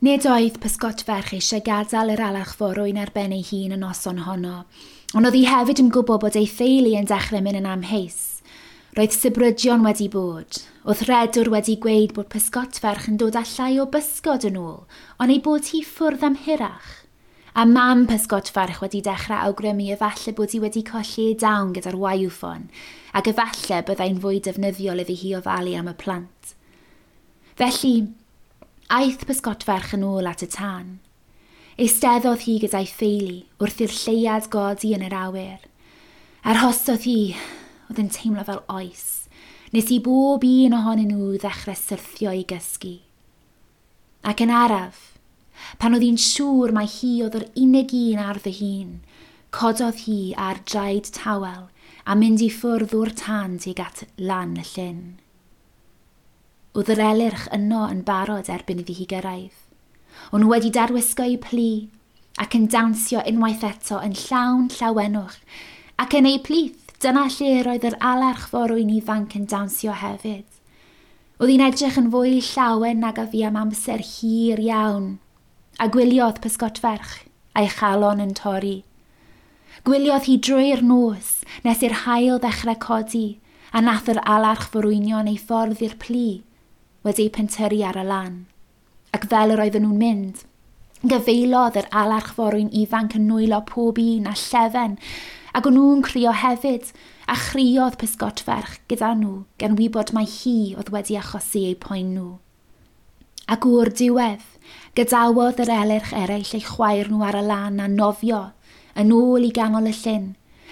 Nid oedd pysgotferch eisiau gadael yr alarch forwyn ar ben ei hun y noson honno, ond oedd hi hefyd yn gwybod bod ei theulu yn dechrau mynd yn amheus. Roedd sibrydion wedi bod. Oedd rhedwr wedi gweud bod pysgotferch yn dod â llai o bysgod yn ôl, ond ei bod hi ffwrdd am hirach. A mam pysgotferch wedi dechrau awgrymu efallai bod hi wedi colli ei dawn gyda'r waywffon, ac efallai byddai'n fwy defnyddiol iddi hi ofalu am y plant. Felly, aeth pysgotferch yn ôl at y tân. Eisteddodd hi gyda'i theulu wrth i'r lleuad godi yn yr awyr. Arhosodd hi, oedd yn teimlo fel oes, nes i bob un ohonyn nhw ddechrau syrthio i gysgu. Ac yn araf, pan oedd hi'n siŵr mai hi oedd yr unig un ar ddi-hun, cododd hi ar draed tawel a mynd i ffwrdd o'r tân tuag at lan y llyn. Oedd yr elyrch yno yn barod erbyn iddi hi gyrraedd. O'n nhw wedi darwisgo eu plu ac yn dawnsio unwaith eto yn llawn llawenwch, ac yn eu plith, dyna lle roedd yr alarch forwyn ifanc yn dawnsio hefyd. Oedd hi'n edrych yn fwy llawen nag a fu am amser hir iawn, a gwyliodd pysgotferch, a'i chalon yn torri. Gwyliodd hi drwy'r nos nes i'r haul ddechrau codi, a nath yr alarch forwynion ei ffordd i'r plu, wedi eu pentyrru ar y lan. Ac fel yr oedden nhw'n mynd, gyfeilodd yr alarch forwyn ifanc yn nwylo pob un a llefen, ac o'n nhw'n crio hefyd, a chriodd pysgotferch gyda nhw, gan wybod mai hi oedd wedi achosi eu poen nhw. Ac o'r diwedd, gadawodd yr elyrch eraill eu chwaer nhw ar y lan a nofio yn ôl i ganol y llyn,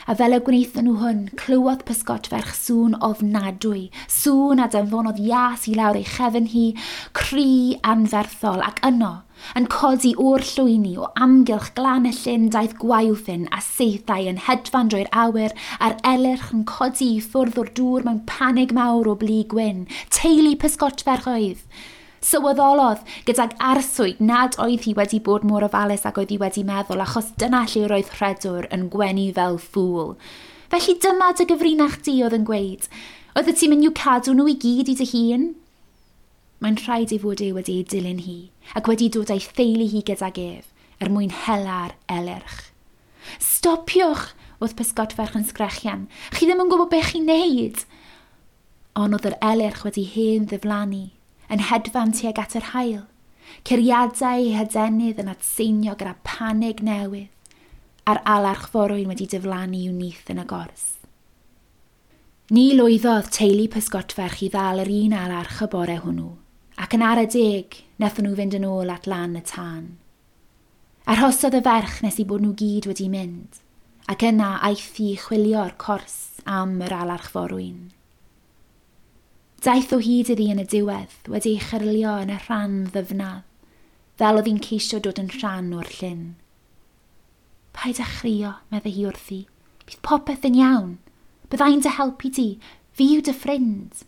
a fel y gwnaethon nhw hwn, clywodd pysgotferch sŵn ofnadwy, sŵn a danfonodd ias i lawr ei chefn hi, cri anferthol, ac yno, yn codi o'r llwyni o amgylch glan y llyn daeth gwaywffyn a saethau yn hedfan drwy'r awyr, a'r elyrch yn codi i ffwrdd o'r dŵr mewn panig mawr o blu gwyn. Teulu pysgotferch oedd. Sylweddolodd gydag arswyd nad oedd hi wedi bod mor ofalus ag oedd hi wedi meddwl, achos dyna lle roedd rhedwr yn gwenu fel ffŵl. Felly dyma dy gyfrinach di, oedd yn gweud. Oeddet ti'n mynd i'w cadw nhw i gyd i dy hun? Mae'n rhaid ei fod e wedi ei dilyn hi, ac wedi dod â'i theulu hi gydag ef, er mwyn hela'r elyrch. Stopiwch! Oedd pysgotferch yn sgrechian. Chi ddim yn gwybod beth chi'n neud! Ond oedd yr elyrch wedi hen ddiflannu, yn hedfan tuag at yr haul, curiadau ei hadenydd yn atseinio gyda panig newydd, a'r alarch forwyn wedi diflannu i'w nyth yn y gors. Ni lwyddodd teulu pysgotferch i ddal yr un alarch y bore hwnnw, ac yn ara deg, wnaethon nhw fynd yn ôl at lan y tân. Arhosodd y ferch nes i bod nhw gyd wedi mynd, ac yna aeth hi i chwilio'r cors am yr alarch forwyn. Daeth o hyd iddi yn y diwedd, wedi ei chyrlio yn y rhan ddyfnaf, fel oedd hi'n ceisio dod yn rhan o'r llyn. Paid â chrio, meddai hi wrthi. Bydd popeth yn iawn. Byddai'n dy helpu di. Fi yw dy ffrind.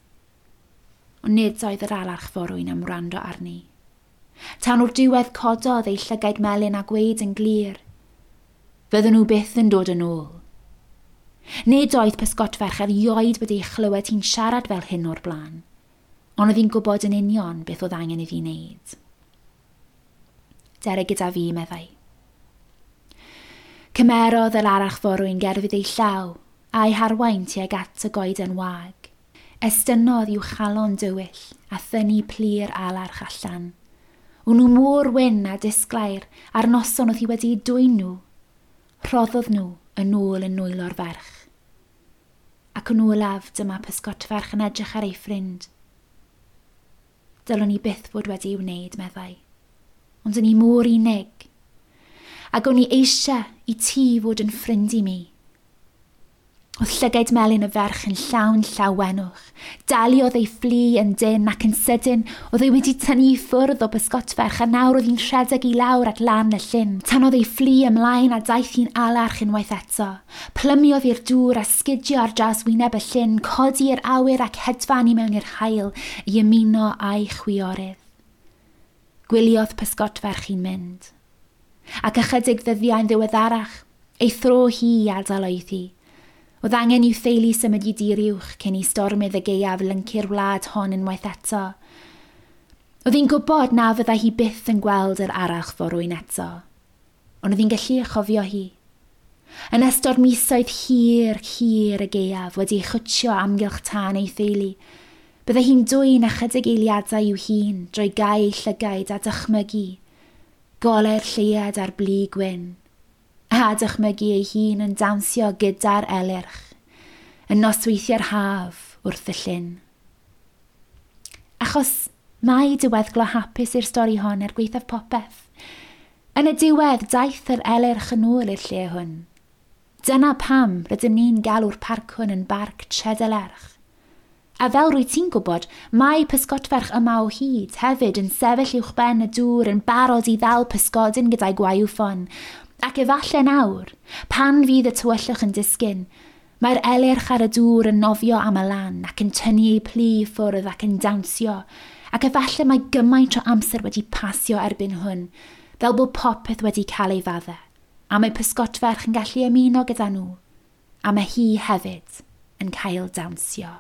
Ond nid oedd yr alarch forwyn am wrando arni. Tan o'r diwedd cododd ei llygaid melyn a gweud yn glir. Fydden nhw byth yn dod yn ôl. Nid oedd pysgotferch erioed wedi ei chlywed hi'n siarad fel hyn o'r blaen, ond oedd hi'n gwybod yn union beth oedd angen iddi wneud. Dere gyda fi, meddai. Cymerodd yr alarch forwyn gerfydd ei llaw a'i harwain tuag at y goeden wag. Estynnodd i'w chalon dywyll a thynnu plu'r alarch allan. O'n nhw mor wyn a disglair a'r noson oedd hi wedi eu dwyn nhw. Rhoddodd nhw yn ôl yn nwylo'r ferch. Ac yn olaf dyma pysgotferch yn edrych ar ei ffrind. Dylwn i byth fod wedi ei wneud, meddai. Ond o'n i mor unig. Ac o'n i eisiau i ti fod yn ffrind i mi. Oedd llygaid melyn y ferch yn llawn llawenwch. Daliodd ei fflu yn dynn ac yn sydyn oedd ei wedi tynnu i ffwrdd o bysgotferch a nawr oedd hi'n rhedeg i lawr at lan y llyn. Tanodd ei fflu ymlaen a daeth hi'n alarch unwaith eto. Plymiodd i'r dŵr a sgidio ar draws wyneb y llyn, codi i'r awyr ac hedfan i mewn i'r haul i ymuno â'i chwiorydd. Gwyliodd pysgotferch hi'n mynd. Ac ychydig ddyddiau'n ddiweddarach, ei thro hi i adael oedd hi. Oedd angen i'w theulu symud i dir uwch cyn i stormydd y gaeaf lyncu'r wlad hon unwaith eto. Oedd hi'n gwybod na fyddai hi byth yn gweld yr arach forwyn eto, ond oedd hi'n gallu ei chofio hi. Yn ystod misoedd hir, hir y gaeaf wedi ei chwtio amgylch tân ei theulu, byddai hi'n dwyn ychydig eiliadau i'w hun drwy gau ei llygaid a dychmygu, golau'r lleuad ar blu gwyn, a dychmygu ei hun yn dawnsio gyda'r elyrch, yn nosweithiau'r haf wrth y llyn. Achos mae diweddglo hapus i'r stori hon er gwaethaf popeth. Yn y diwedd, daeth yr elyrch yn ôl i'r lle hwn. Dyna pam rydym ni'n galw'r parc hwn yn Barc Tredelerch. A fel rwy ti'n gwybod, mae pysgodferch yma o hyd hefyd yn sefyll uwchben y dŵr yn barod i ddal pysgodyn gyda'i gwaywffon. Ac efallai nawr, pan fydd y tywyllwch yn disgyn, mae'r elyrch ar y dŵr yn nofio am y lan ac yn tynnu ei plu i ffwrdd ac yn dawnsio, ac efallai mae gymaint o amser wedi pasio erbyn hwn, fel bod popeth wedi cael ei faddau, a mae pysgodferch yn gallu ymuno gyda nhw, a mae hi hefyd yn cael dawnsio.